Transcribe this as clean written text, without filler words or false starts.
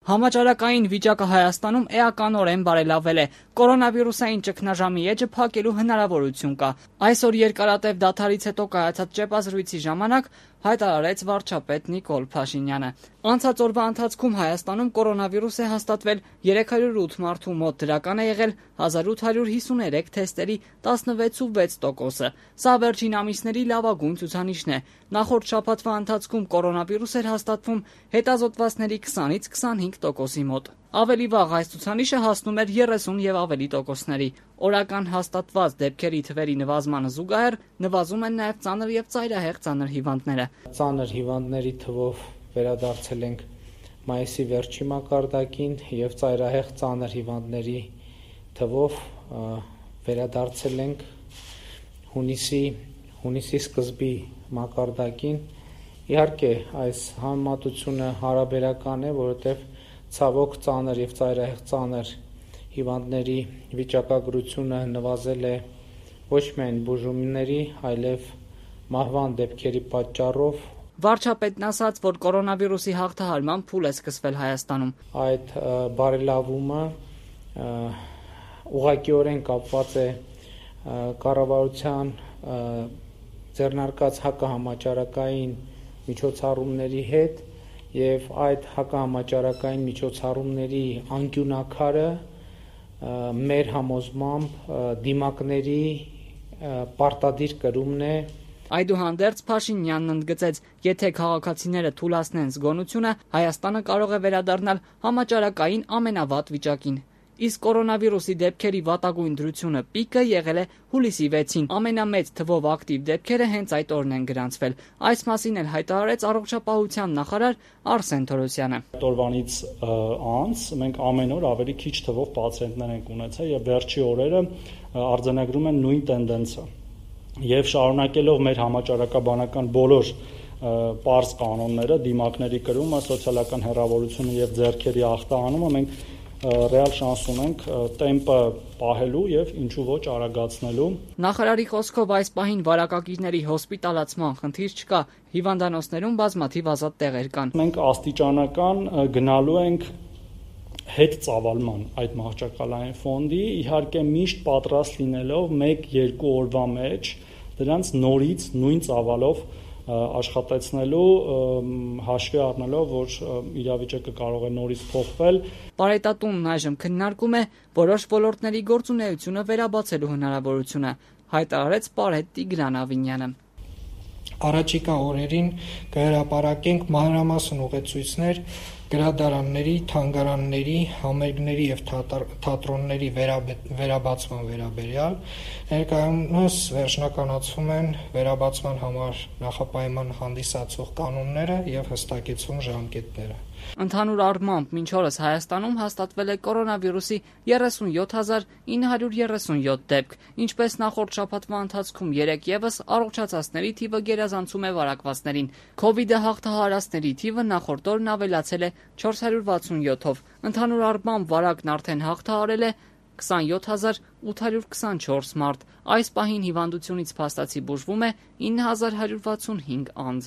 Համաճարակային վիճակը Հայաստանում էականորեն բարելավել է։ Կորոնավիրուսային ճգնաժամի էջը փակելու հնարավորություն կա։ Այսօր երկարատև դադարից հետո կայացած ճեպազրույցի ժամանակ հայտարարեց վարչապետ Նիկոլ Փաշինյանը։ Անցած օրվա ընթացքում Հայաստանում կորոնավիրուս է հաստատվել 308 մարդու մոտ, դրական է եղել 1853 թեստերի 16.6%-ը։ Սա վերջին ամիսների լավագույն ցուցանիշն է։ Նախորդ շաբաթվա ընթացքում կորոնավիրուս էր հաստատվում հետազոտվածների 20-ից 25%-ի մոտ։ Ավելի վաղ այս ցուցանիշը հասնում էր 30 եւ ավելի տոկոսների։ Օրական հաստատված դեպքերի թվերի նվազմանը զուգահեռ նվազում են նաև ծանր եւ ծայրահեղ ծանր հիվանդները։ Ծանր հիվանդների թվով վերադարձել ենք մայիսի վերջի մակարդակին եւ ծայրահեղ ծանր հիվանդների թվով վերադարձել ենք հունիսի սկզբի մակարդակին։ Իհարկե, այս համեմատությունը հարաբերական է, որովհետեւ ցավոք ծանր եւ ծայրահեղ ծանր հիվանդների վիճակագրությունը նվազել է ոչ միայն բուժումների, այլև մահվան դեպքերի պատճառով։ Վարչապետն ասաց, որ կորոնավիրուսի հաղթահարման փուլ է սկսվել Հայաստանում։ Այդ բարելավումը ուղղակիորեն կապված է կառավարության ձեռնարկած հակահամաճարակային միջոցառումների հետ եւ այդ հակահամաճարակային միջոցառումների անկյունակարը մեր համոզմամբ դիմակների պարտադիր կրումն է։ Այդուհանդերձ Փաշինյանն ընդգծեց, եթե քաղաքացիները թուլացնեն զգոնությունը, Հայաստանը կարող է վերադառնալ համաճարակային ամենավատ վիճակին։ Իսկ կորոնավիրուսի դեպքերի վատագույն դրությունը պիկը եղել է հուլիսի 6-ին։ Ամենամեծ թվով ակտիվ դեպքերը հենց այդ օրն են գրանցվել։ Այս մասին էլ հայտարարեց առողջապահության նախարար Արսեն Թորոսյանը։ Օրվանից անց մենք ամեն օր ավելի քիչ թվով պացիենտներ ենք ունեցել եւ վերջի օրերը արձանագրում են նույն տենդենսը։ Եվ շարունակելով մեր համաճարակաբանական բոլոր պարզ կանոնները, դիմակների կրումը, սոցիալական հեռավորությունը եւ ձեռքերի ախտահանումը, մենք ռեալ շանս ունենք տեմպը պահելու եւ ինչու ոչ արագացնելու։ Նախարարի խոսքով այս պահին վարակագիրների հոսպիտալացման խնդիր չկա, հիվանդանոցներում բազմաթիվ ազատ տեղեր կան։ Մենք աստիճանական գնալու ենք հետ ծավալման այդ մահճակալային ֆոնդի, իհարկե միշտ պատրաստ լինելով 1-2 օրվա մեջ դրանց նորից նույն ծավալով աշխատեցնելու, հաշվի առնելով, որ իրավիճակը կարող է նորից փոխվել։ Պարետատունն այժմ քննարկում է որոշ ոլորտների գործունեությունը վերաբացելու հնարավորությունը, հայտարարեց Պարետ Տիգրան Ավինյանը։ Առաջիկա օրերին կհրապարակենք մանրամասն ուղեցույցներ գրադարանների, թանգարանների, համերգների եւ թատրոնների վերաբացման վերաբերյալ։ Ներկայումս վերջնականացվում են վերաբացման համար նախապայման հանդիսացող կանոնները եւ հստակեցվում ժամկետները։ Ընդհանուր առմամբ մինչ օրս Հայաստանում հաստատվել է կորոնավիրուսի 37937 դեպք, ինչպես նախորդ շաբաթվա ընթացքում 3 ևս առողջացածների թիվը գերազանցում է վարակվածներին։ Քովիդը հաղթահարածների թիվը նախորդ օրն ավելացել է 467-ով։ Ընդհանուր առմամբ վարակն արդեն հաղթահարել է 27824 մարդ։ Այս պահին հիվանդությունից փաստացի բուժվում է 9165 անձ։